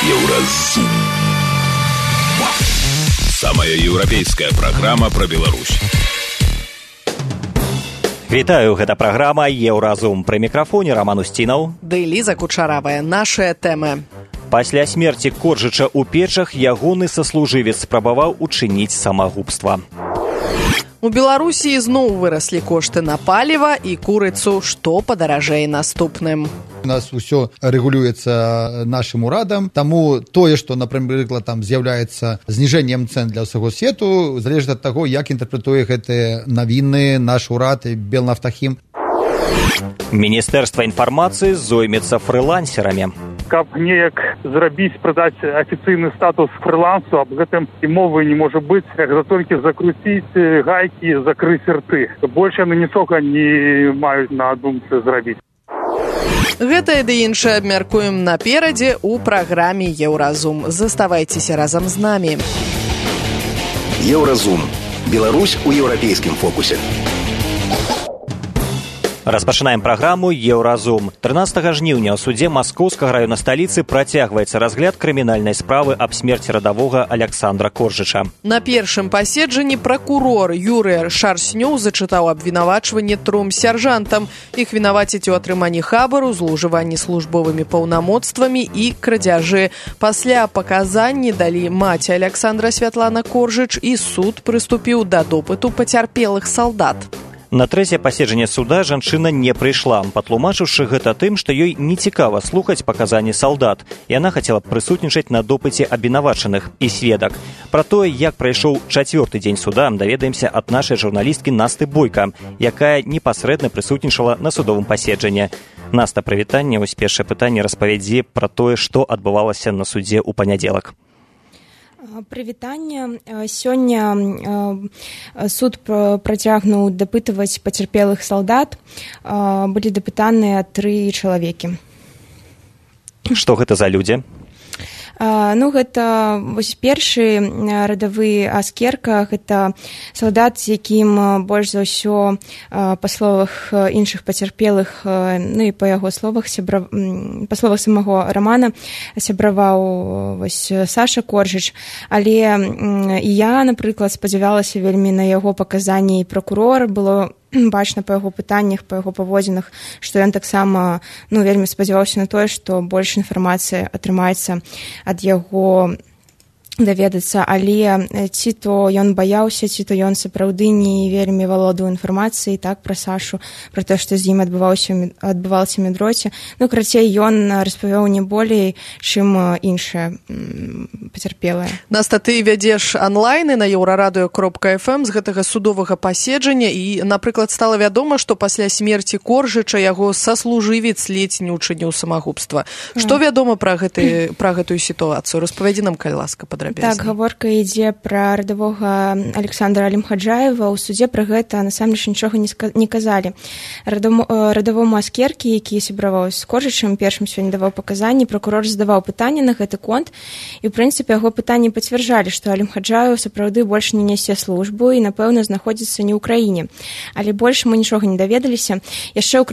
Еўразум. Самая еўрапейская праграма пра Беларусь. Вітаю, гэта праграма «Еўразум». Пры мікрафоне Роман Устінаў. Ды Ліза Кучаравая. Нашыя тэмы. Пасля смерці Коржыча ў Печах ягоны саслужывец спрабаваў учыніць самагубства. У Беларусі зноў выраслі кошты на паліва і курыцу, што падаражэй наступным. У нас ўсё рэгулюецца нашым урадам, таму тое, што, напрыклад, там з'яўляецца зніжэннем цэн для ўсяго свету, залежыць ад таго, як інтэрпрэтуе гэтыя навіны наш урад і Белнафтахім. Міністэрства інфармацыі зоймецца фрылансерамі. Каб неяк зрабіць, прадаць афіцыйны статус фрылансу, аб гэтым і мовы не можа быць, як за толькі закруціць гайкі, закрыць рты. Больш яны нічога не маюць на думцы зрабіць. Гэтае ды іншае абмяркуем наперадзе ў праграме «Еўразум». Заставайцеся разам з намі. Еўразум. Беларусь у еўрапейскім фокусе. Распачынаем праграму «Еўразум». 13 жніўня ў судзе Маскоўскага раёна сталіцы працягваецца разгляд крымінальнай справы аб смерці радавога Аляксандра Коржыча. На першым паседжанні пракурор Юрый Шарснёў зачытаў абвінавачванне 3 сяржантам. Іх вінаваціць у атрыманні хабару, злоўжыванні службовымі паўнамоцтвамі і крадзяжы. Пасля паказанні далі маці Аляксандра Святлана Коржыч, і суд прыступіў да допыту пацярпелых салдат. На трэцяе паседжанне суда жанчына не прыйшла, патлумачыўшы гэта тым, што ёй нецікава слухаць паказанні салдат. Яна хацела б прысутнічаць на допыце абвінавачаных і сведак. Пра тое, як прайшоў 4-й дзень суда, даведаемся ад нашай журналісткі Насты Бойка, якая непасрэдна прысутнічала на судовым паседжанні. Наста, прывітанне. Вось першае пытанне, распавядзі пра тое, што адбывалася на судзе ў панядзелак. Прывітанне. Сёння суд працягнуў дапытваць пацярпелых салдат. Былі дапытаныя 3 чалавекі. Што гэта за людзі? Гэта вось першы радавы Аскерка, гэта салдат, з якім больш за ўсё, па словах іншых пацярпелых, і па яго словах, па словах самого Рамана, сябраваў вось Саша Коржыч. Але і я, напрыклад, спадзявалася вельмі на яго паказанні, і пракурор, было бачна па яго пытаннях, па яго паводзінах, што ён таксама вельмі спадзяваўся на тое, што больш інфармацыі атрымаецца ад яго даведацца, але ці то ён баяўся, ці то ён сапраўды не вельмі валодаў інфармацыяй так пра Сашу, пра тое, што з ім адбывалася медроце. Крацей, ён распавёў не болей, чым іншыя пацярпелыя. Наста, ты вядзеш анлайны на еўрарадыё.фм з гэтага судовага паседжання, і, напрыклад, стала вядома, што пасля смерці Коржыча яго саслужывец ледзь не учыніў самагубства. Што вядома пра гэтую сітуацыю? Распавядзі нам, калі ласка, падрабязней. Так, гаворка ідзе пра радавога Александра Алімхаджаева. У судзе пра гэта насамрэч нічога не казалі. Радавому Аскеркі, які сябраваў з Коржычам, першым сёння даваў паказанні, пракурор задаваў пытанне на гэты конт, і, ў прынцыпе, яго пытанні пацвярджалі, што Алімхаджаеў сапраўды больш не нясе службу і, напэўна, знаходзіцца не ў краіне. Але больш мы нічога не даведаліся. Яшчэ ў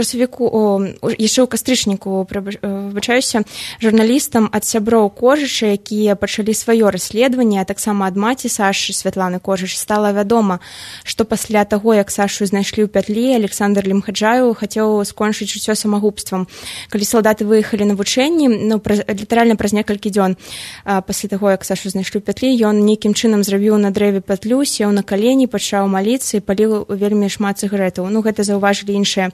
кастрычніку, выбачаюся, журналістам ад сяброў Коржыча, якія пачалі сваё расследаванне, а таксама ад маці Сашы Святланы Коржыч, стала вядома, што пасля таго, як Сашу знайшлі ў пятлі, Александр Алімхаджаеў хацеў скончыць жыццё самагубствам. Калі салдаты выехалі на вучэнні, літаральна праз некалькі дзён пасля таго, як Сашу знайшлі ў пятлі, ён нейкім чынам зрабіў на дрэве пятлю, сеў на калені, пачаў маліцца і паліў вельмі шмат цыгарэтаў. Гэта заўважылі іншыя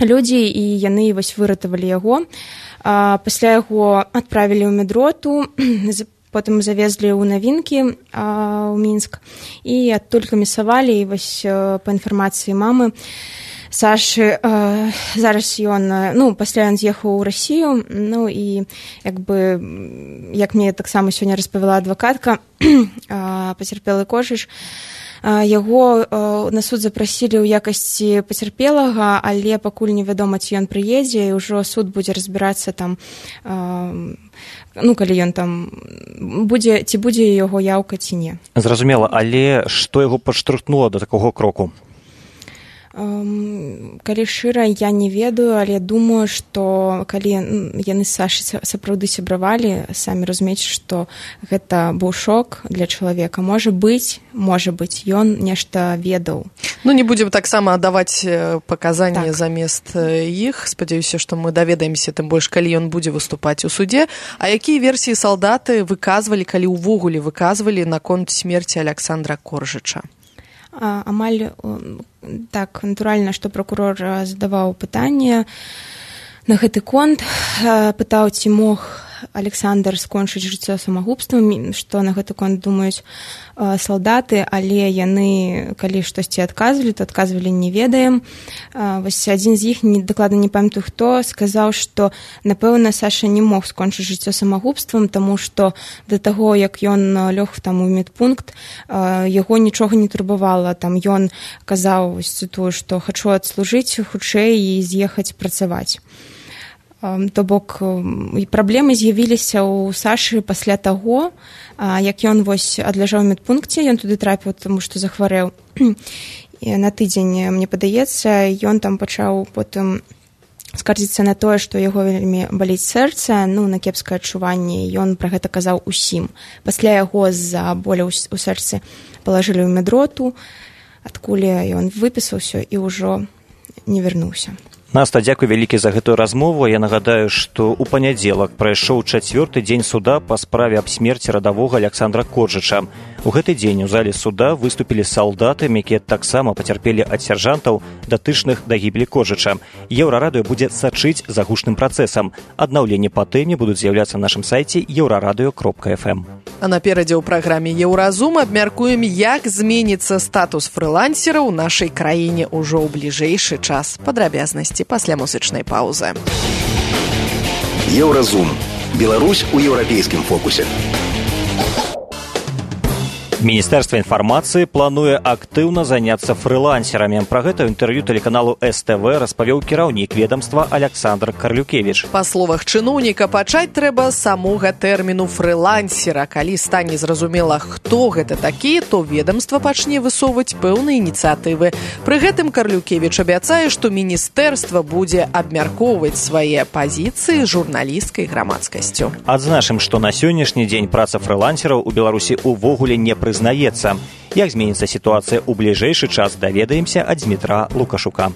людзі, і яны вось выратавалі яго. Пасля яго адправілі ў медроту, потым завезлі ў навінкі ў Мінск, і адтуль камісавалі, і вось па інфармацыі мамы Сашы, зараз ён, пасля ён з'ехаў у Расію, і як мне таксама сёння распавяла адвакатка, пацярпелы Коржыч, яго на суд запрасілі ў якасці пацярпелага, але пакуль невядома, ці ён прыедзе, і ўжо суд будзе разбірацца там, калі ён там будзе, ці будзе яго яўка, ці не. Зразумела, але што яго падштурхнула да такога кроку? Калі шчыра, я не ведаю, але думаю, што калі яны з Сашай сапраўды сябравалі, самі разумееце, што гэта быў шок для чалавека. Можа быць, ён нешта ведаў. Ну, не будзем таксама аддаваць паказанні замест іх. Спадзяюся, што мы даведаемся, тым больш, калі ён будзе выступаць у суде. А якія версіі салдаты выказвалі, калі ўвогуле выказвалі наконт смерці Аляксандра Коржыча? Амаль так натуральна, што пракурор задаваў пытанне на гэты конт, пытаў, ці мог Александр скончыць жыццё самагубствам, што на гэты конт думаюць салдаты, але яны, калі штосьці адказвалі, то адказвалі не ведаем. Вось адзін з іх, дакладна не памятаю хто, сказаў, што, напэўна, Саша не мог скончыць жыццё самагубствам, таму што да таго, як ён лёг там у медпункт, яго нічога не турбавала. Там ён казаў, цытую, што хачу адслужыць хутчэй і з'ехаць працаваць. То бок, праблемы з'явіліся ў Сашы пасля таго, як ён вось адляжаў у медпункце, ён туды трапіў, таму што захварэў на тыдзень, мне падаецца, ён там пачаў потым скардзіцца на тое, што яго вельмі баліць сэрца, на кепскае адчуванне, ён пра гэта казаў усім. Пасля яго з-за боля ў сэрцы палажылі ў медроту, адкуль ён выпісаўся і ўжо не вярнуўся. Наста, дзякуй вялікі за гэтую размову. Я нагадаю, што ў панядзелак прайшоў 4-й дзень суда па справе аб смерці радавога Аляксандра Коржыча. У гэты дзень у зале суда выступілі салдаты, якія таксама пацярпелі ад сяржантаў, датычных да гібелі Коржыча. Еўрарадыё будзе сачыць за гучным працэсам. Аднаўленні па тэме будуць з'яўляцца на нашым сайце еўрарадыё.фм. А наперадзе ў праграме «Еўразум» абмяркуем, як зменіцца статус фрылансера ў нашай краіне ўжо ў бліжэйшы час. Падрабязнасці пасля музычнай паўзы. Еўразум. Беларусь у еўрапейскім фокусе. Міністэрства інфармацыі плануе актыўна заняцца фрылансерамі. Пра гэта ў інтэрв'ю тэлеканалу СТВ распавёў кіраўнік ведамства Аляксандр Карлюкевіч. Па словах чыноўніка, пачаць трэба самога тэрміну фрылансера. Калі стане зразумела, хто гэта такі, то ведамства пачне высоўваць пэўныя ініцыятывы. Пры гэтым Карлюкевіч абяцае, што міністэрства будзе абмяркоўваць свае пазіцыі журналісцкай грамадскасцю. Адзначым, што на сённяшні дзень праца фрылансераў у Беларусі ўвогуле не прызнаецца. Як зменіцца сітуацыя ў бліжэйшы час, даведаемся ад Дмітра Лукашука.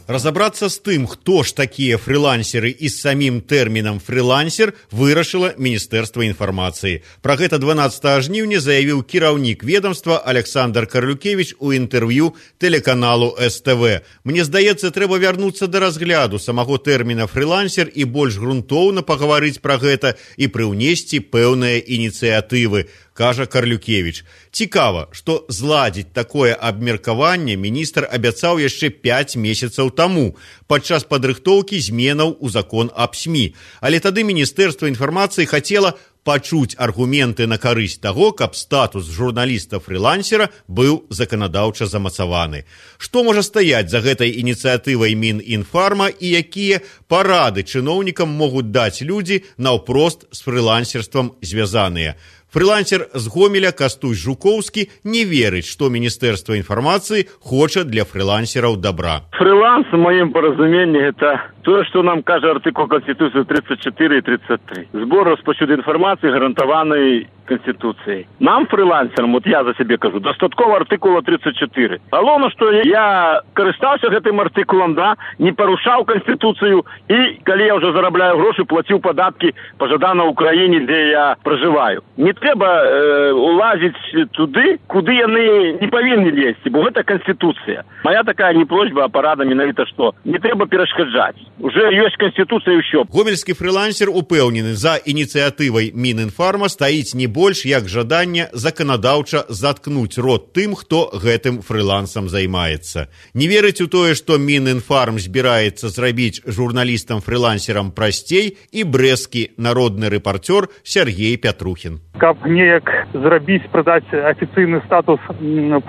Разобраться с тым, хто ж такія фрилансеры і з самім тэрмінам фрилансер вырашыла Міністэрства інфармацыі. Пра гэта 12 жніўня заявіў кіраўнік ведомства Александр Карлюкевіч у інтэрв'ю тэлеканалу СТВ. Мне здаецца, трэба вярнуцца да разгляду самого тэрміна фрилансер і больш грунтоўна пагаварыць пра гэта і прыўнесці пэўныя ініцыятывы, кажа Карлюкевіч. Цікава, што зладзіць такое абмеркаванне міністр абяцаў яшчэ 5 месяцаў таму, падчас падрыхтоўкі зменаў у закон аб СМІ. Але тады Міністэрства інфармацыі хацела пачуць аргументы на карысць таго, каб статус журналіста-фрилансера быў заканадаўча замацаваны. Што можа стаяць за гэтай ініцыятывай Мінінфарма і якія парады чыноўнікам могуць даць людзі наўпрост з фрилансерствам звязаныя? Фрилансер з Гомеля Кастусь Жукоўскі не верыць, што Міністэрства інфармацыі хоча для фрилансераў добра. Фриланс, в моем поразумении, это то, что нам кажет артикул Конституции 34 и 33. Сбор распаўсюду информации, гарантованной Конституцией. Нам, фрилансерам, вот я за себе кажу, достатково артикула 34. Головне, что я користався гэтым артикулом, да, не порушав Конституцию, и, коли я уже зарабляю гроши, платил податки пожадано Украине, где я проживаю. Не треба улазить туди, куди яны не повинні лезть, бо гэта Конституция. Моя такая не просьба, а порада менавіта, что не треба перашкаджаць. Уже ёсць Конституция і ўсё. Гомельскі фрилансер упэўнены, за ініцыятывай Мінінфарма стаіць не больш як жаданне заканадаўча заткнуць рот тым, хто гэтым фрилансам займаецца. Не верыць у тое, што Мінінфарм збіраецца зрабіць журналістам-фрилансерам прасцей і брэсцкі народны рэпартёр Сергей Пятрухін. Каб неяк зрабіць, прадаць афіцыйны статус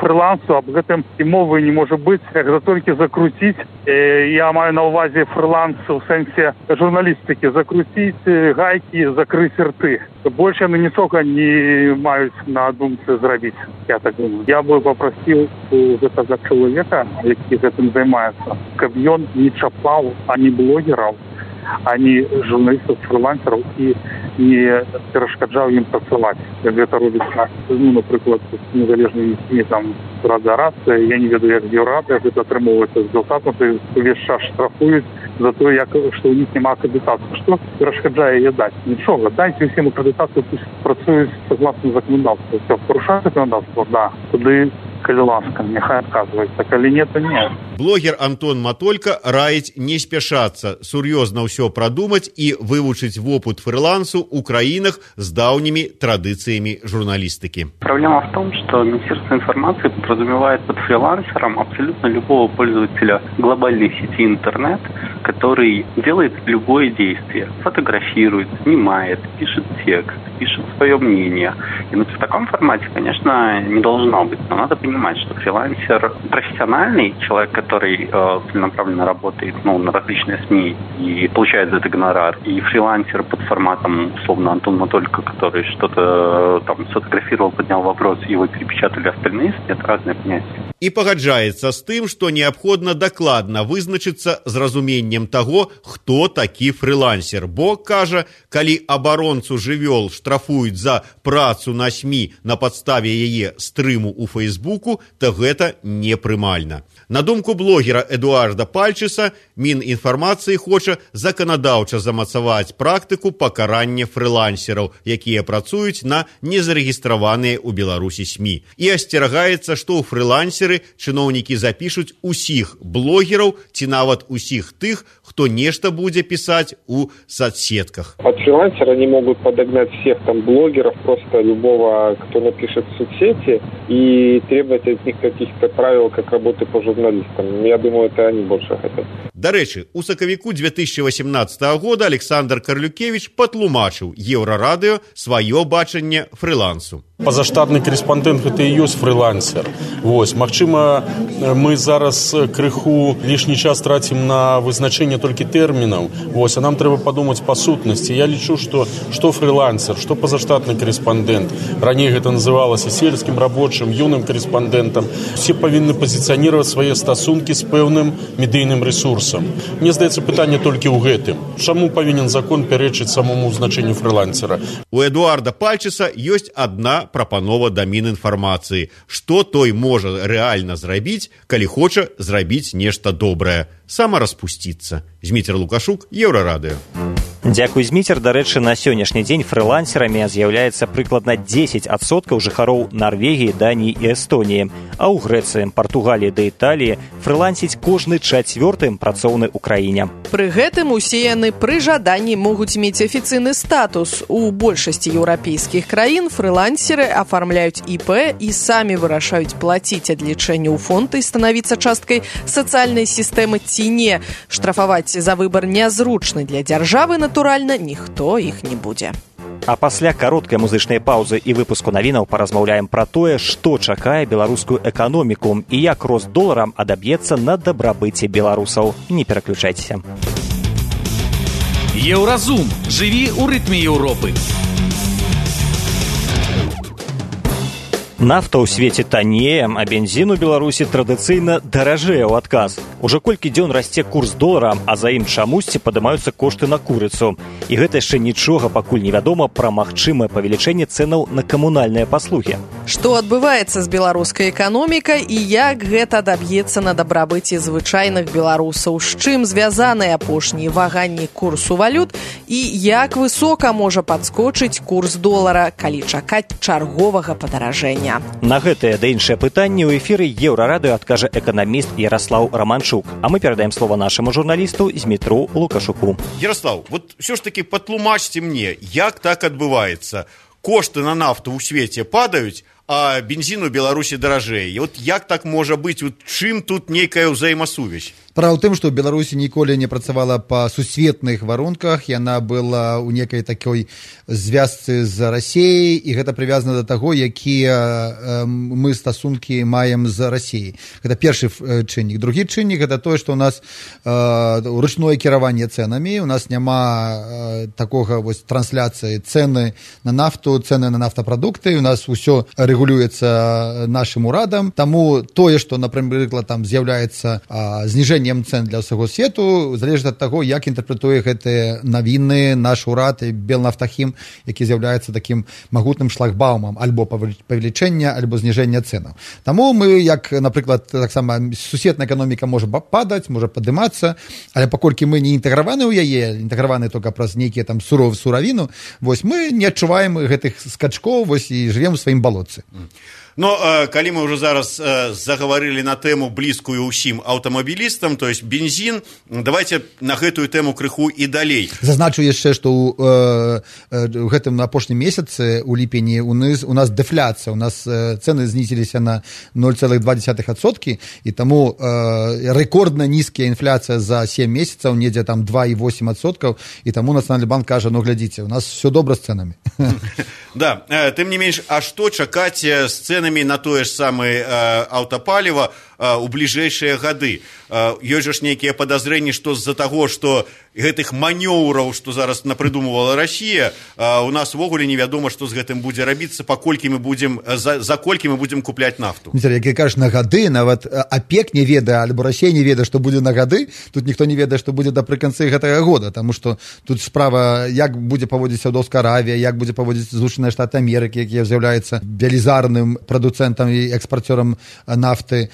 фрилансу, аб гэтым і мовы не можа быць, як за толькі закруціць. Я маю на ўвазе фриланс у сэнсе журналістыкі, закруціць гайкі, закрыць рты. больше яны нічога не маюць на думцы зрабіць, я так думаю. Я бы попросил у гэтага чалавека, які гэтым займаецца, каб ён не чапаў ані блогераў, ані журналістаў, фрилансераў і не перашкаджаў ім працаваць. Як гэта робіцца, напрыклад, з незалежнымі СМІ, там, Рада Рацыя, я не ведаю, як Еўрарада, гэта атрымоўваецца з Белсату, увесь час штрафуюць за то, што ў них няма акрэдытацыі. Што перашкаджае яе даць? Нічога, дайце ўсім акрэдытацыю, пусть працуюць согласно законодаўству. Все, парушаюць законодаўство, да, туды, калі ласка, няхай адказваецца, калі не, то не. Блогер Антон Матолька раіць не спяшацца, сур'ёзна ўсё прадумаць і вывучыць вопыт фрилансу ў краінах з даўнімі традыцыямі журналістыкі. Проблема в том, что Министерство информации подразумевает под фрилансером абсолютно любого пользователя глобальной сети интернет, который делает любое действие, фотографирует, снимает, пишет текст, пишет свое мнение. И в таком формате, конечно, не должно быть. Но надо понимать, что фрилансер профессиональный, человек, который целенаправленно работает на различные СМИ и получает за это гонорар, и фрилансер под форматом, условно, Антон Матолька, который что-то там сфотографировал, поднял вопрос, и его перепечатали остальные СМИ, это разные понятия. І пагаджаецца з тым, што неабходна дакладна вызначыцца з разуменнем таго, хто такі фрилансер. Бо, кажа, калі абаронцу жывёл штрафуюць за працу на СМІ на падставе яе стрыму ў Фейсбуку, то гэта непрымальна. На думку блогера Эдуарда Пальчыса, Мінінфармацыі хоча заканадаўча замацаваць практыку пакарання фрилансераў, якія працуюць на незарэгістраваныя ў Беларусі СМІ. І асцерагаецца, што ў фрилансеры чыноўнікі запішуць усіх блогераў ці нават усіх тых, хто нешта будзе пісаць у соцсетках. От фрилансера они могут подогнать всех там блогеров, просто любого, кто напишет в соцсети, и требовать от них каких-то правил, как работы по журналистам. Я думаю, это они больше хотят. Дарэчы, у сакавіку 2018 года Александр Карлюкевич патлумачыў Еўрарадыё сваё бачанне фрилансу. Пазаштатны корэспандэнт гэта і ёсць фрилансер. Магчыма, мы зараз крыху лішні час трацім на вызначэнне толькі тэрмінаў. А нам трэба падумаць па сутнасці. Я лічу, што фрилансер, што пазаштатны корэспандэнт. Раней гэта называлася сельскім рабочым, юным корэспандэнтам. Усе павінны пазіцыяніраваць свае стасункі з пэўным медыйным ресурсам. Мне здаецца, пытанне толькі ў гэтым. Чаму павінен закон пярэчыць самому значэнню фрилансера? У Эдуарда Пальчыса ёсць адна прапанова да Мінінфармацыі. Што той можа рэальна зрабіць, калі хоча зрабіць нешта добрае? Самараспусціцца. Зміцер Лукашук, Еўрарадыё. Дзякуй, Зміцер. Дарэчы, на сённяшні дзень фрилансерамі з'яўляецца прыкладна 10% жыхароў Нарвегіі, Даніі і Эстоніі. А ў Грэцыі, Партугаліі да Італіі фрилансіць кожны 4-м працоўны ў краіне. Пры гэтым усе яны пры жаданні могуць мець афіцыйны статус. У большасці еўрапейскіх краін фрилансеры афармляюць ІП і самі вырашаюць плаціць адлічэнне ў фонд і станавіцца часткай сацыяльнай сістэмы ці не. Штрафаваць за выбар нязручны для дзяржавы, натуральна, ніхто іх не будзе. А пасля кароткай музычнай паўзы і выпуску навінаў паразмаўляем пра тое, што чакае беларускую эканоміку і як рост долара адаб'ецца на дабрабыце беларусаў. Не пераключайцеся. Еўразум. Жыві ў рытме Еўропы. Нафта ў свеце таннее, а бензін у Беларусі традыцыйна даражэе ў адказ. Ужо колькі дзён расце курс долара, а за ім чамусьці падымаюцца кошты на курыцу. І гэта яшчэ нічога пакуль невядома пра магчымае павелічэнне цэнаў на камунальныя паслугі. Што адбываецца з беларускай эканомікай і як гэта адаб'ецца на дабрабыце звычайных беларусаў, з чым звязаныя апошнія ваганні курсу валют і як высока можа падскочыць курс долара, калі чакаць чарговага падаражэння. На гэтыя да іншыя пытанні ў эфіры Еўрарадыё адкажа эканаміст Яраслаў Раманчук. А мы перадаем слово нашаму журналісту Змітру Лукашуку. Ярослав, вот все ж таки патлумачьте мне, як так адбываецца? Кошты на нафту ў свеце падаюць, а бензін у Беларусі даражэй. Вот як так можа быць? Чым тут нейкая ўзаемасувязь? Справа ў тым, што ў Беларусі ніколі не працавала па сусветных варунках, яна была ў некай такой звязцы з Расіяй, і гэта прывязана да таго, якія мы стасункі маем з Расіяй. Гэта першы чыннік. Другі чыннік гэта тое, што ў нас ручное кіраванне цэнамі, у нас няма такога вось трансляцыі цэны на нафту, цэны на нафтапрадукты, у нас усё рэгулюецца нашым урадам, таму тое, што, напрыклад, там з'яўляецца зніжэннем цен для ўсяго свету, залежыць ад таго, як інтэрпрэтуе гэтыя навіны наш урад і Белнафтахім, які з'яўляецца такім магутным шлагбаумам альбо павелічэння, альбо зніжэння цэнаў. Таму мы, як, напрыклад, таксама сусветная эканоміка можа падаць, можа падымацца, але паколькі мы не інтэграваны ў яе, інтэграваны толькі праз нейкія там суравіну, вось мы не адчуваем гэтых скачкоў, вось і жывем у сваім балотцы. Но калі мы ўжо зараз загаварылі на тэму блізкую ўсім аўтамабілістам, то есть бензін, давайте на гэтую тэму крыху і далей. Зазначу яшчэ, што ў гэтым апошнім месяцы у ліпені у нас дэфляцыя, у нас цэны знізіліся на 0,2%, і таму рэкордна нізкая інфляцыя за 7 месяцаў, недзе там 2,8%, і таму Нацыянальны банк кажа, ну глядзіце, у нас все добра з цэнамі. Да, тым не менш, а што чакаць з цэнамі на тое ж самае аўтапаліва у бліжэйшыя гады? Ёсць жа ж нейкія падазрэнні, што з-за таго, што гэтых манёўраў, што зараз напрыдумывала Расія, у нас увогуле невядома, што з гэтым будзе рабіцца, паколькі мы будзем, за колькі мы будзем купляць нафту. Як я кажу, на гады, нават АПЕК не ведае, альбо Расія не ведае, што будзе на гады, тут ніхто не ведае, што будзе напрыканцы гэтага года, таму што тут справа, як будзе паводзіць Саўдаўская Аравія, як будзе паводзіць Злучаныя Штаты Амерыкі, якія з'яўляюцца велізарным прадуцэнтам і экспарцёрам нафты.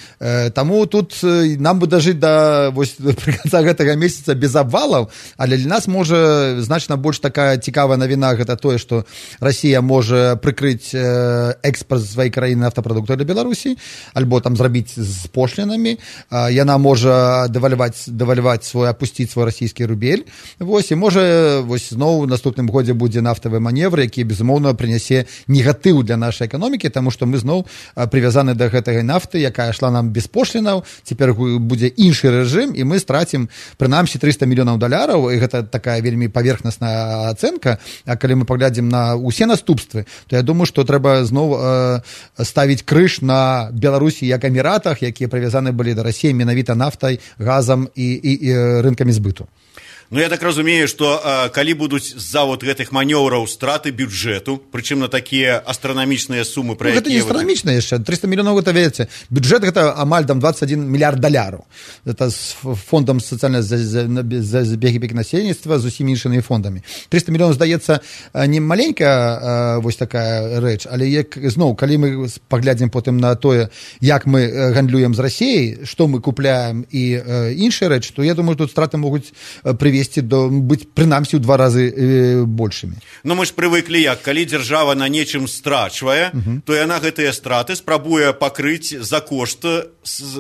Таму тут нам бы дажыць да прыканца гэтага месяца без абвалаў, але для нас можа значна больш такая цікавая навіна, гэта тое, што Расія можа прыкрыць экспорт сваёй краіны нафтапрадуктаў для Беларусі, альбо там зрабіць з пошлінамі, яна можа дэвальваць свой, апусціць свой расійскі рубель, вось, і можа вось зноў у наступным годзе будзе нафтавы маневр, які безумоўна прынясе негатыў для нашай эканомікі, таму што мы зноў прывязаны да гэтага нафты, якая ішла нам без пошлінаў, цяпер будзе іншы рэжым, і мы страцім прынамсі $300 мільёнаў, і гэта такая вельмі паверхнасная ацэнка, а калі мы паглядзім на ўсе наступствы, то я думаю, што трэба зноў ставіць крыж на Беларусі як Эміратах, якія прывязаны былі да Расіі менавіта нафтай, газам і рынкамі збыту. Ну, я так разумею, што калі будуць з-за вот гэтых манёўраў страты бюджэту, прычым на такія астранамічныя сумы, пра якія... Гэта не астранамічна яшчэ, 300 мільёнаў, гэта, ведаце, бюджэт гэта амаль там $21 мільярд. Гэта з фондам сацыяльнай забеспекі насельніцтва, з усімі іншымі фондамі. 300 мільёнаў, здаецца, не маленькая вось такая рэч, але як, зноў, калі мы паглядзім потым на тое, як мы гандлюем з Расіяй, што мы купляем і іншыя рэчы, то я думаю, тут страты могуць прывесці быць прынамсі ў 2 разы большымі. Ну мы ж прывыклі як, калі дзяржава на нечым страчвае, то яна гэтыя страты спрабуе пакрыць за кошт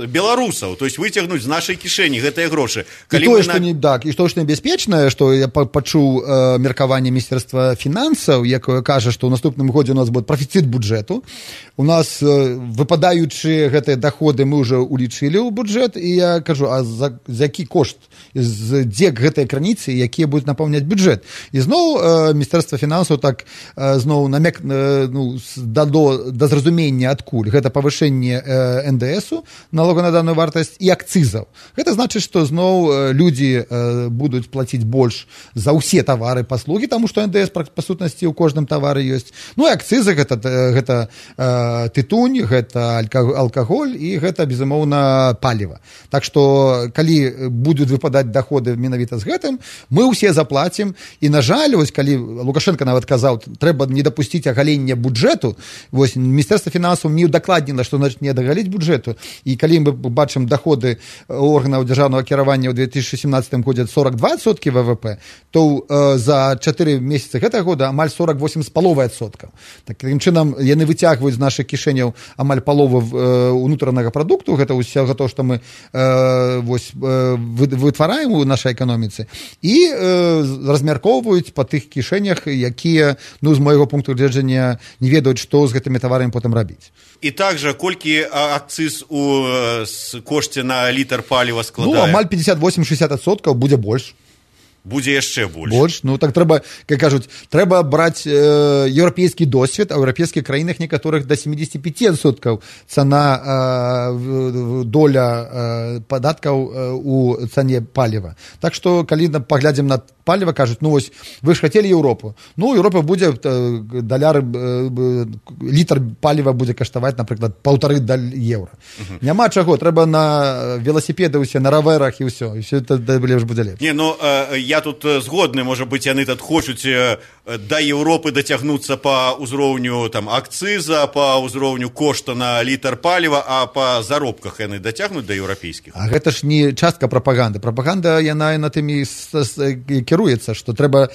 беларусаў, то есть выцягнуць з нашай кішэні гэтыя грошы. І тое, што небяспечнае, што я пачуў меркаванне Міністэрства фінансаў, якое кажа, што ў наступным годзе у нас будзе прафіцыт бюджэту. У нас выпадаючыя гэтыя даходы мы ўжо улічылі ў бюджэт, і я кажу, а за які кошт, дзе гэтыя крыніцы, якія будуць напаўняць бюджэт. І зноў Міністэрства фінансаў так зноў намек да зразумення адкуль. Гэта павышэнне НДСу, налога на данную вартасць, і акцызаў. Гэта значыць, што зноў людзі будуць плаціць больш за ўсе тавары, паслугі, таму што НДС па сутнасці ў кожным тавары ёсць. Ну і акцызы гэта тытунь, гэта алкаголь і гэта, безумоўна, паліва. Так што, калі будуць выпадаць даходы менавіта з гэтым, мы ўсе заплацім. І, на жаль, вось калі Лукашенко нават казаў, трэба не дапусціць агалення бюджэту, вось Міністэрства фінансаў не удакладніла, што значыць не дагаліць бюджэту. І калі мы бачым даходы органаў дзяржаўнага кіравання ў 2017 годзе 42% ВВП, то за 4 месяцы гэтага года амаль 48,5%. Такім чынам яны выцягваюць з нашых кішэняў амаль палову ўнутранага прадукту, гэта ўсё то, што мы вытвараем у нашай эканоміцы. і размяркоўваюць па тых кішэнях, якія, ну, з майго пункту гледжання, не ведаюць, што з гэтымі таварамі потым рабіць. І также, колькі акцыз у кошце на літр паліва складае? Ну, амаль 58-60% будзе больш. Будзе яшчэ больш. Больш, ну так трэба, як кажуць, трэба браць еўрапейскі досвед, а ў еўрапейскіх краінах некаторых да 75% цана доля падаткаў у цане паліва. Так што, калі паглядзім на паліва, кажуць, ну вось, вы ж хацелі Еўропу. Ну, Еўропа будзе даляр, літр паліва будзе каштаваць, напрыклад, 1,5 еўра. Няма чаго, трэба на веласіпеды ўсе, на раверах і ўсё. І ўсё это лепш будзе лепш. Не, ну, я тут згодны, можа быць, яны тут хочуць да Еўропы дацягнуцца па ўзроўню там акцыза, па ўзроўню кошта на літр паліва, а па заробках яны дацягнуць да еўрапейскіх. А гэта ж не частка прапаганды. Прапаганда, яна на тым і кіруецца, што трэба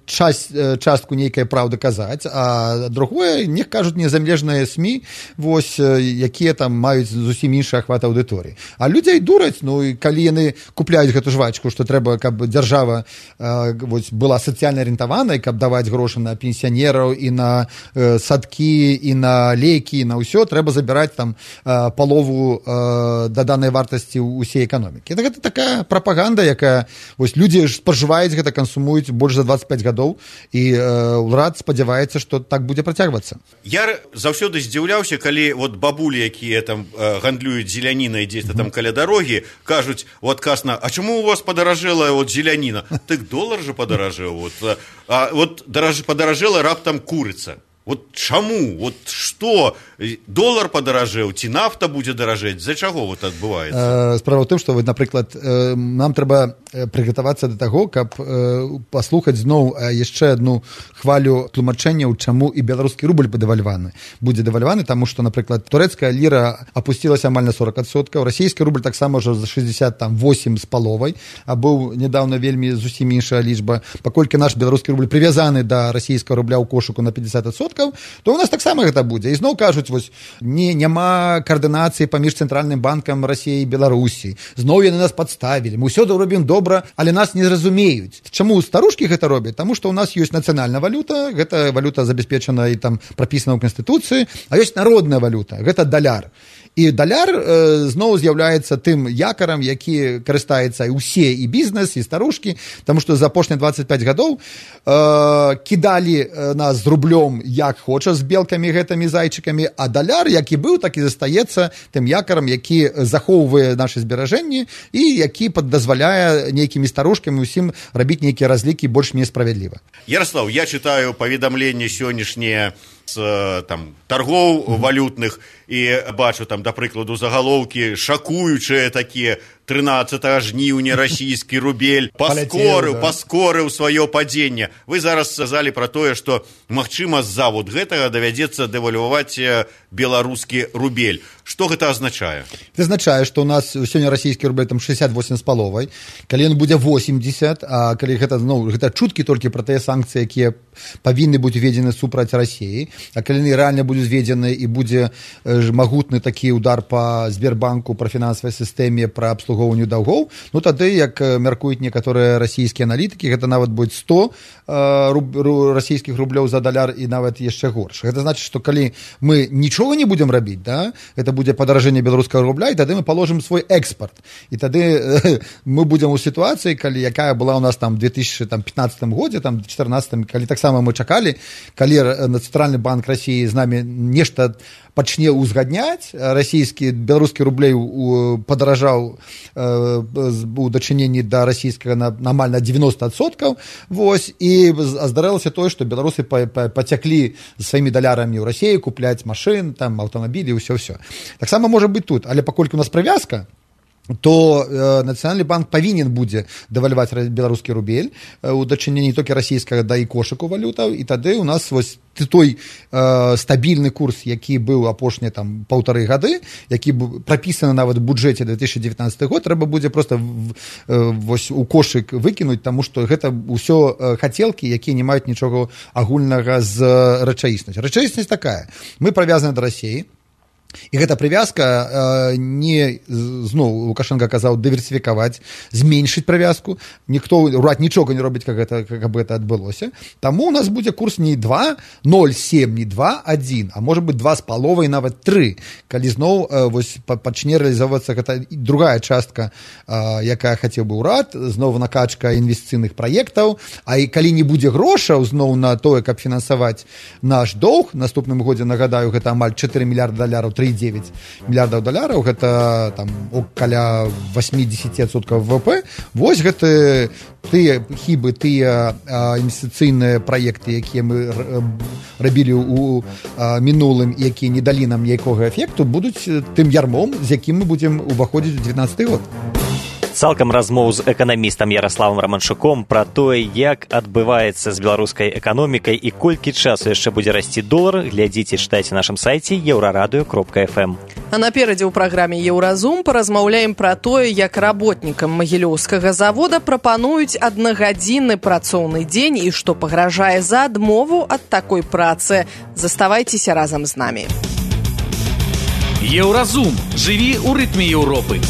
частку нейкай праўды казаць, а другое, не кажуць незалежныя СМІ, вось, якія там маюць зусім іншы ахват аўдыторыі. А людзей дураць, ну, і калі яны купляюць гэту жвачку, што трэба, каб дзяржава была сацыяльна арыентаванай, каб даваць грошы на пенсіянераў і на садкі, і на лекі, і на ўсё, трэба забіраць там палову даданай вартасці ўсей эканомікі. Гэта такая прапаганда, якая, вось, людзі спажываюць гэта, кансумуюць больш за 25 гадоў, і ўрад спадзяваецца, што так будзе працягвацца. Я заўсёды здзіўляўся, калі вот бабулі, якія там гандлююць зелянінай дзесь там каля дарогі, кажуць у адказ на: а чаму у вас падаражэла вот зеляніна? Так долар же падаражэў. Вот падаражэла раптам курыца. Вот чаму? Вот што? Долар падаражэў, ці нафта будзе даражэць? За чаго вот адбываецца? Справа ў тым, што, напрыклад, нам трэба прыгатавацца да таго, каб паслухаць зноў яшчэ адну хвалю тлумачэнняў, чаму і беларускі рубль будзе дэвальваны, таму што, напрыклад, турэцкая ліра апусцілася амаль на 40%, расійскі рубль таксама ўжо за 68,5, а быў нядаўна вельмі зусім іншая лічба. Паколькі наш беларускі рубль прывязаны да расійскага рубля ў кошыку на 50%, то у нас таксама гэта будзе. І зноў кажуць, вось, няма каардынацыі паміж цэнтральным банкам Расіі і Беларусі. Зноў яны нас падставілі. Мы ўсё робім добра, але нас не зразумеюць. Чаму старушкі гэта робяць? Таму што ў нас ёсць нацыянальная валюта, гэта валюта забяспечана і там прапісана ў Канстытуцыі, а ёсць народная валюта, гэта даляр. І даляр зноў з'яўляецца тым якарам, які карыстаецца і ўсе, і бізнес, і старушкі, таму што за апошнія 25 гадоў кідалі нас з рублём як хоча, з белкамі гэтымі зайчыкамі, а даляр, які быў, так і застаецца тым якарам, які захоўвае нашы зберажэнні і які дазваляе нейкімі старушкамі усім рабіць нейкія разлікі больш-менш справядліва. Ярослав, я чытаю паведамленні сённяшнія з там торгоў валютных і бачу там, да прыкладу, загалоўкі шакуючыя такія: 13 жніўня расійскі рубель паскорыў сваё падзенне. Вы зараз сказалі пра тое, што магчыма з-за вот гэтага давядзецца дэвальваваць беларускі рубель. Што гэта азначае? Гэта азначае, што ў нас сёння расійскі рубель там 68,5, калі ён будзе 80, а калі гэта, ну, гэта чуткі толькі пра тыя санкцыі, якія павінны быць уведзены супраць Расіі, а калі яны рэальна будуць зведзены і будзе магутны такі удар па Сбербанку, пра фінансавай сістэме, пра абслугоўванню даўгоў, ну тады, як мяркуюць некаторыя расійскія аналітыкі, гэта нават будзе 100 расійскіх рублёў за даляр і нават яшчэ горш. Гэта значыць, што калі мы нічога не будзем рабіць, да, гэта будзе падаражэнне беларускага рубля, і тады мы паложым свой экспарт. І тады мы будзем у сітуацыі, калі якая была у нас там в 2015 годзе, там 2014, калі таксама мы чакалі, калі Цэнтральны банк Расіі з намі нешта пачне ўзгадняць, беларускі рублей падаражаў у дачыненні да расійскага амаль на 90%, вось, і здарылася тое, што беларусы пацяклі з сваімі далярамі ў Расіі купляць машын, там, аўтамабілі, ўсё-ўсё. Таксама можа быць тут, але паколькі у нас прывязка, то Нацыянальны банк павінен будзе дэвальваць беларускі рубель у дачыненні толькі расійскага да і кошыку валютаў, і тады у нас вось той стабільны курс, які быў апошнія там 1,5 гады, які прапісаны нават у бюджэце 2019 год, трэба будзе проста вось у кошык выкінуць, таму што гэта ўсё хацелкі, якія не маюць нічога агульнага з рэчаіснасцю. Рэчаіснасць такая: мы прывязаны да Расіі, І гэта прывязка не, зноў Лукашенко казаў, дыверсіфікаваць, зменшыць прывязку. Ніхто, урад нічога не робіць, каб гэта адбылося. Таму у нас будзе курс не 2,07, не 2,1, а можа быць 2,5, нават 3, калі зноў пачне рэалізавацца гэта другая частка, якая хацеў бы ўрад, зноў накачка інвестыцыйных праектаў, а і калі не будзе грошаў зноў на тое, каб фінансаваць наш доўг, наступным годзе, нагадаю, гэта амаль 4 мільярда даляраў, 3,9 мільярдаў даляраў, гэта там каля 80% ВВП. Вось гэта тыя хібы, тыя інвестыцыйныя праекты, якія мы рабілі ў мінулым, якія не далі нам ніякога эфекту, будуць тым ярмом, з якім мы будзем уваходзіць у 19 год. Цалкам размоў з эканамістам Яраславам Раманчуком пра тое, як адбываецца з беларускай эканомікай і колькі часу яшчэ будзе расці долар, глядзіце, чытайце на нашым сайце еўрарадыё.фм. А наперадзе ў праграме «Еўразум» паразмаўляем пра тое, як работнікам магілёўскага завода прапануюць аднагадзінны працоўны дзень і што пагражае за адмову ад такой працы. Заставайцеся разам з намі. Еўразум. Жыві ў рытме Еўропы.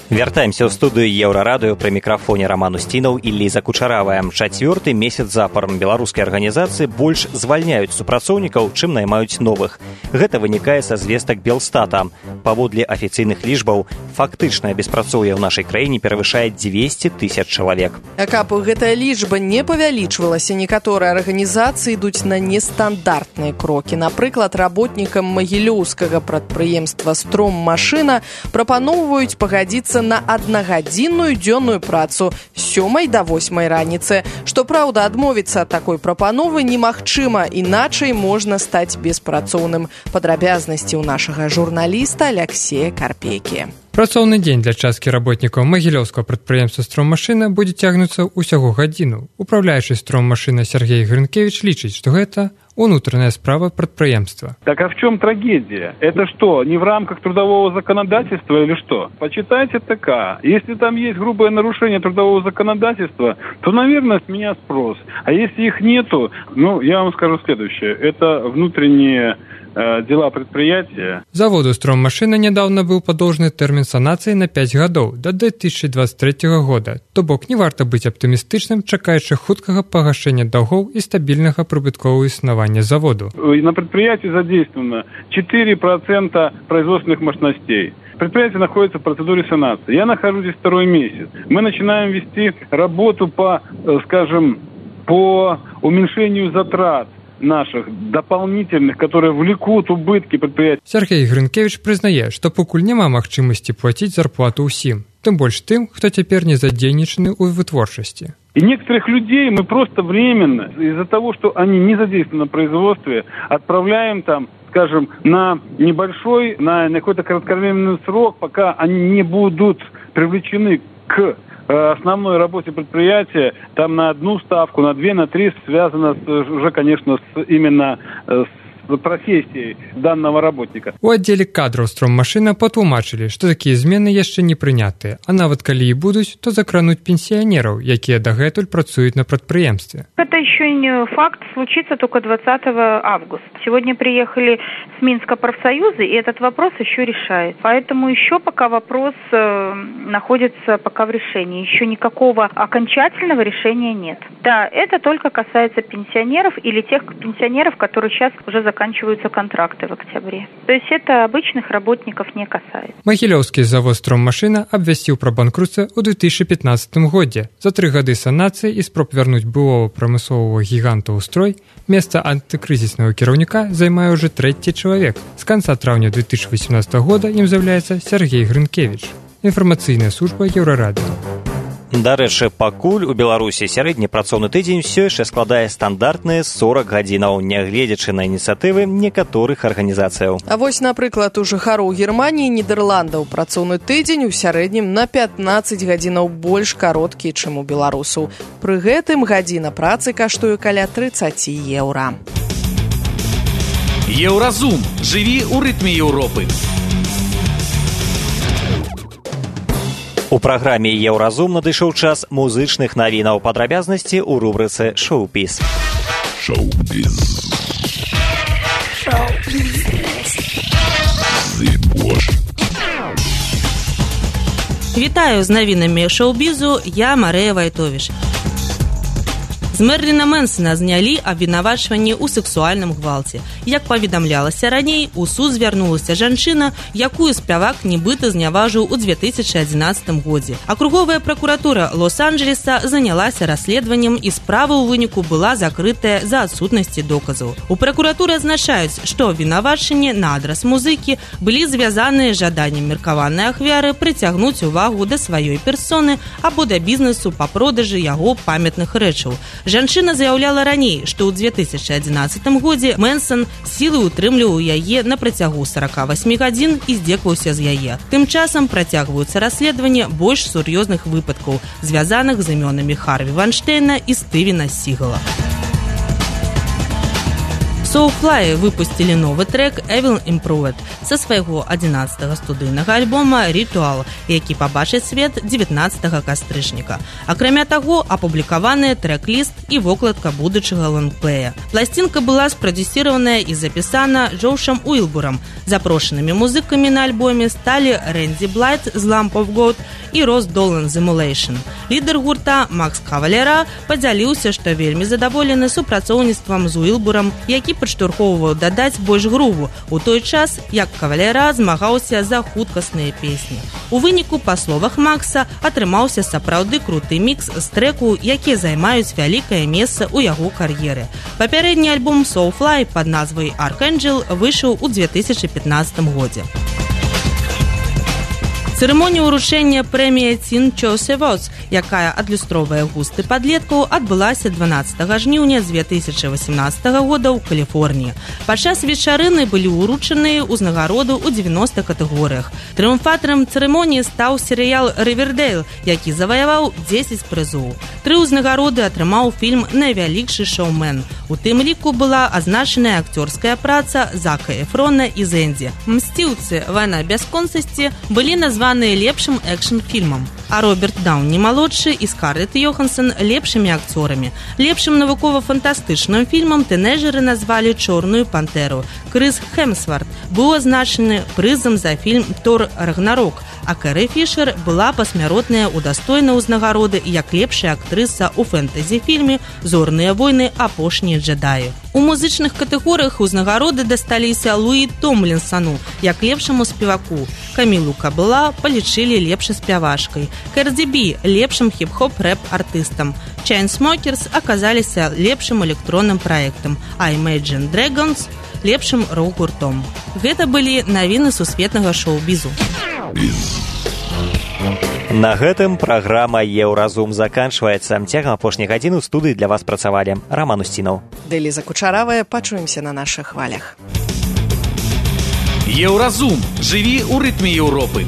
Вяртаемся ў студыю Еўрарадыё, пры мікрафоне Раман Усцінаў і Ліза Кучаравая. 4-й месяц запар беларускія арганізацыі больш звальняюць супрацоўнікаў, чым наймаюць новых. Гэта вынікае са звестак Белстата. Паводле афіцыйных лічбаў, фактычнае беспрацоўе ў нашай краіне перавышае 200 000 чалавек. А каб гэтая лічба не павялічвалася, некаторыя арганізацыі ідуць на нестандартныя крокі. Напрыклад, работнікам магілёўскага прадпрыемства «Строммашына» прапаноўваюць пагадзіцца на аднагадзінную дзённую працу з 7 до 8 раніцы. Што праўда, адмовіцца ад такой прапановы немагчыма, іначай можна стаць беспрацоўным. Падрабязнасці ў нашага журналіста Алексея Карпейкі. Працоўны дзень для часткі работнікаў магілёўскага прадпрыемства «Строммашына» будзе цягнуцца ўсяго гадзіну. Управляючы «Строммашына» Сергей Грынкевич лічыць, што гэта внутренняя справа предприемства. Так а в чем трагедия? Это что, не в рамках трудового законодательства или что? Почитайте ТК. Если там есть грубое нарушение трудового законодательства, то, наверное, с меня спрос. А если их нету, я вам скажу следующее. Это внутренние дела предприятия. Заводу «Строммашына» недавно был подолжный термин санации на 5 годов, до 2023 года. То бок не варто быть оптимистичным, чакаючи хуткага погашения долгов и стабильного прибыткового існування заводу. На предприятии задействовано 4% производственных мощностей. Предприятие находится в процедуре санации. Я нахожусь здесь 2-й месяц. Мы начинаем вести работу по уменьшению затрат наших дополнительных, которые влекут убытки предприятий. Сергей Грынкевич признае, что покуль няма магчымасці платить зарплату ўсім, тым больш тым, хто цяпер не задзейнічаны ў вытворчасці. И некоторых людей мы просто временно, из-за того, что они не задействованы на производстве, отправляем там, скажем, на небольшой, на какой-то кратковременный срок, пока они не будут привлечены к основной работе предприятия, там на 1 ставку, на 2, на 3 связано уже, конечно, именно с профессией данного работника. У аддзеле кадраў «Строммашына» патлумачылі, што такія змены яшчэ не прынятыя, а нават калі і будуць, то закрануць пенсіянераў, якія дагэтуль працуюць на прадпрыемстве. Это еще не факт, случится только 20 августа. Сегодня приехали с Минска профсоюзы, и этот вопрос еще решает. Поэтому еще пока вопрос находится пока в решении. Еще никакого окончательного решения нет. Да, это только касается пенсионеров или тех пенсионеров, которые сейчас уже заканчиваются контракты в октябре. То есть это обычных работников не касается. Магілёўскі завод «Строммашына» абвясціў пра банкрутство ў 2015 годзе. За 3 гады санацыі і спроб вярнуць былого прамысловага гіганта ў строй, месца антыкрызіснага кіраўніка займае ўжо 3-й чалавек. З канца траўня 2018 года ім з'яўляецца Сергей Грынкевич. Інфармацыйная служба Еўрарадыё. Дарэчы, пакуль у Беларусі сярэдні працоўны тыдзень усё яшчэ складае стандартныя 40 гадзінаў, нягледзячы на ініцыятывы некаторых арганізацыяў. А вось, напрыклад, у жыхароў Германіі і Нідерландаў працоўны тыдзень у сярэднім на 15 гадзінаў больш кароткі, чым у беларусаў. Пры гэтым гадзіна працы каштуе каля 30 еўра. Еўразум. Жыві ў рытме Еўропы. У праграме «Еўразум» надышоў час музычных навінаў. Падрабязнасці ў рубрыцы «Шоу-піс». Вітаю з навінамі шоу-бізу, я Марыя Вайтовіш. З Мерліна Мэнсона знялі абвінавачванні ў сексуальным гвалце. Як паведамлялася раней, у суд звярнулася жанчына, якую спявак нібыта зняважыў у 2011 годзе. Акруговая пракуратура Лос-Анджелеса занялася расследаваннем, і справа ў выніку была закрытая за адсутнасці доказаў. У пракуратуры азначаюць, што абвінавачанні на адрас музыкі былі звязаныя з жаданнем меркаванай ахвяры прыцягнуць увагу да сваёй персоны або да бізнесу па продажы яго памятных рэчаў. Жанчына заяўляла раней, што ў 2011 годзе Мэнсон сілай утрымліваў яе на працягу 48 гадзін і здзекаваўся з яе. Тым часам працягваюцца расследаванні больш сур'ёзных выпадкаў, звязаных з імёнамі Харві Вайнштейна і Стывена Сігала. Soulfly выпусцілі новы трек Evil Improved са свайго 11-го студыйнага альбома Ritual, які пабачыць свет 19 кастрычніка. Акрамя таго, апублікаваны трэк-ліст і вокладка будучага лонгплея. Пласцінка была спрадзюсіраваная і запісана Джошам Уилбурам. Запрошанымі музыкамі на альбоме сталі Рэнді Блайт з Lamp of God і Рос Долан з Emulation. Лідар гурта Макс Кавалера падзяліўся, што вельмі задаволены супрацоўніцтвам з Уилбурам, які падштурхоўваў дадаць больш груву, у той час, як Кавалера змагаўся за хуткасныя песні. У выніку, па словах Макса, атрымаўся сапраўды круты мікс з трэку, якія займаюць вялікае месца ў яго кар'еры. Папярэдні альбом Soulfly пад назвай Archangel выйшаў у 2015 годзе. Цырымонія ўручэння прэміі Teen Choice Awards, якая адлюстроўвае густы падлеткаў, адбылася 12 жніўня 2018 года ў Каліфорніі. Падчас вечарыны былі ўручаныя ўзнагароды ў 90 катэгорыях. Трыумфатарам цырымоніі стаў серыял «Ривердейл», які заваяваў 10 прызоў. 3 ўзнагароды атрымаў фільм «Найвялікшы шоумен». У тым ліку была азначаная акцёрская праца Зака Эфрона і Зэндзі. «Мсціўцы. Вайна бясконцасці» былі названы лепшым экшн-фільмам, а Роберт Даўні-малодшы і Скарлетт Йоханссон лепшымі акцёрамі. Лепшым навукова-фантастычным фільмам тынэйджэры назвалі «Чорную пантэру». Крыс Хемсворт быў азначаны прызам за фільм «Тор Рагнарок», а Кэрі Фішер была пасмяротная ўдастоена ўзнагароды як лепшая актрыса ў фэнтэзі-фільме «Зорныя войны. Апошнія джедаі». У музычных катэгорыях ўзнагароды дасталіся Луі Томлінсану як лепшаму спеваку, Камілу Кабыла палічылі лепшай спявашкай, Кэрді Бі лепшым хіп-хоп рэп-артыстам, Chainsmokers аказаліся лепшым электронным праектам, а Imagine Dragons лепшым рок-гуртом. Гэта былі навіны сусветнага шоу-бізу. На гэтым праграма «Еўразум» заканчваецца. Цягам апошняй гадзіны ў студыі для вас працавалі Раман Усцінаў. Дэліза Кучаравая. Пачуемся на нашых хвалях. Еўразум. Жыві ў рытме Еўропы.